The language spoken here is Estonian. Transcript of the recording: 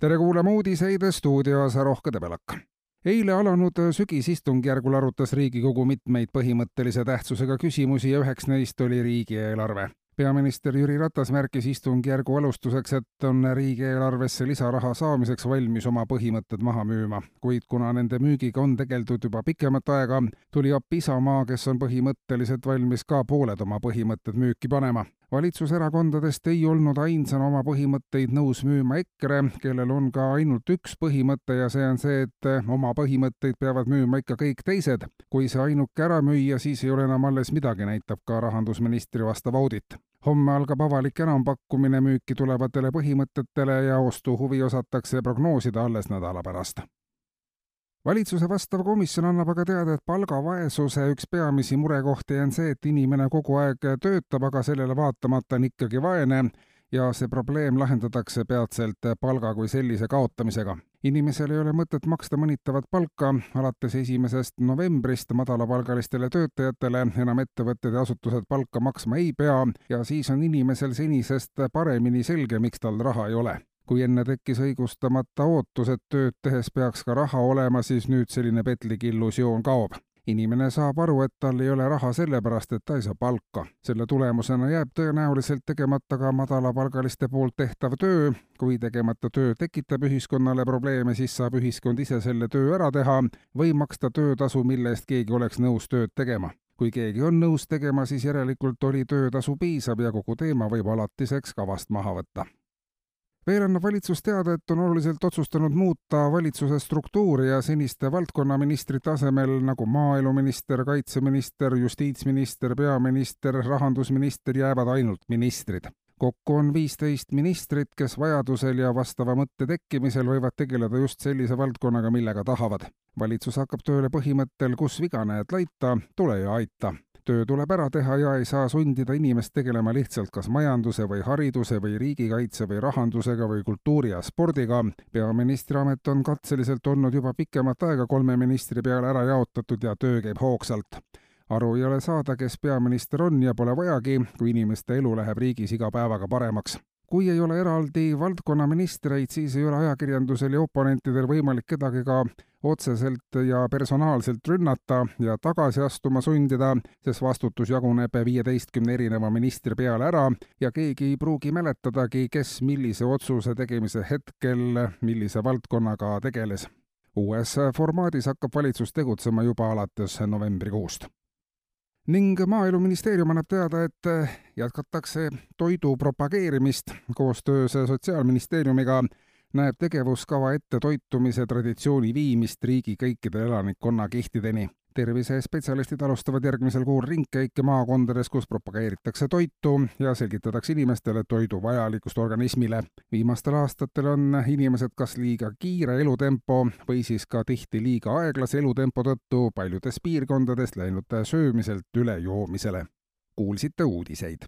Tere kuulama uudiseid stuudios Rohke Debelak. Eile alanud sügisistungjärgul arutas Riigikogu mitmeid põhimõttelise tähtsusega küsimusi ja üheks neist oli riigieelarve. Peaminister Jüri Ratas märkis istungjärgu alustuseks, et on riigieelarvesse lisaraha saamiseks valmis oma põhimõtted maha müüma. Kuid kuna nende müügiga on tegeldud juba pikemat aega, tuli appi Isamaa, kes on põhimõtteliselt valmis ka pooled oma põhimõtted müüki panema. Valitsuserakondadest ei olnud ainsana oma põhimõtteid nõus müüma EKRE, kellel on ka ainult üks põhimõte ja see on see, et oma põhimõtteid peavad müüma ikka kõik teised. Kui see ainuke ära müüa, siis ei ole enam alles midagi, näitab ka rahandusministri vastav audit. Homme algab avalik enampakkumine müüki tulevatele põhimõtetele ja ostuhuvi osatakse prognoosida alles nädala pärast. Valitsuse vastav komisjon annab aga teada, et palgavaesuse üks peamisi murekohti on see, et inimene kogu aeg töötab, aga sellele vaatamata on ikkagi vaene ja see probleem lahendatakse peatselt palga kui sellise kaotamisega. Inimesel ei ole mõtet maksta mõnitavat palka, alates 1. novembrist madalapalgalistele töötajatele enam ettevõtted ja asutused palka maksma ei pea ja siis on inimesel senisest paremini selge, miks tal raha ei ole. Kui enne tekkis õigustamata ootus, et tööd tehes peaks ka raha olema, siis nüüd selline petlik illusioon kaob. Inimene saab aru, et tal ei ole raha sellepärast, et ta ei saa palka. Selle tulemusena jääb tõenäoliselt tegemata ka madalapalgaliste poolt tehtav töö. Kui tegemata töö tekitab ühiskonnale probleeme, siis saab ühiskond ise selle töö ära teha või maksta töötasu, mille eest keegi oleks nõus tööd tegema. Kui keegi on nõus tegema, siis järelikult oli töötasu piisav ja kogu teema võib alatiseks kavast maha võtta. Veel annab valitsus teada, et on oluliselt otsustanud muuta valitsuse struktuuri ja seniste valdkonnaministrite asemel nagu maaeluminister, kaitseminister, justiitsminister, peaminister, rahandusminister jäävad ainult ministrid. Kokku on 15 ministrit, kes vajadusel ja vastava mõtte tekkimisel võivad tegeleda just sellise valdkonnaga, millega tahavad. Valitsus hakkab tööle põhimõttel, kus viga näed laita, tule ja aita. Töö tuleb ära teha ja ei saa sundida inimest tegelema lihtsalt kas majanduse või hariduse või riigikaitse või rahandusega või kultuuri ja spordiga. Peaministri amet on katseliselt olnud juba pikemat aega 3 ministri peale ära jaotatud ja töö käib hoogsalt. Aru ei ole saada, kes peaminister on ja pole vajagi, kui inimeste elu läheb riigis iga päevaga paremaks. Kui ei ole eraldi valdkonnaministreid, siis ei ole ajakirjandusel ja oponentidel võimalik kedagi ka otseselt ja personaalselt rünnata ja tagasi astuma sundida, sest vastutus jaguneb 15 erineva ministri peale ära ja keegi ei pruugi mäletadagi, kes millise otsuse tegemise hetkel millise valdkonnaga tegeles. Uues formaadis hakkab valitsus tegutsema juba alates novembrikuust. Ning Maaeluministeerium annab teada, et jätkatakse toidu propageerimist. Koostöös Sotsiaalministeeriumiga näeb tegevuskava ette toitumise traditsiooni viimist riigi kõikide elanikkonna kihtideni. Tervisespetsialistid alustavad järgmisel kuul ringkäike maakondades, kus propageeritakse toitu ja selgitatakse inimestele toidu vajalikkust organismile. Viimastel aastatel on inimesed kas liiga kiire elutempo või siis ka tihti liiga aeglase elutempo tõttu paljudes piirkondades läinud söömiselt üle joomisele. Kuulsite uudiseid.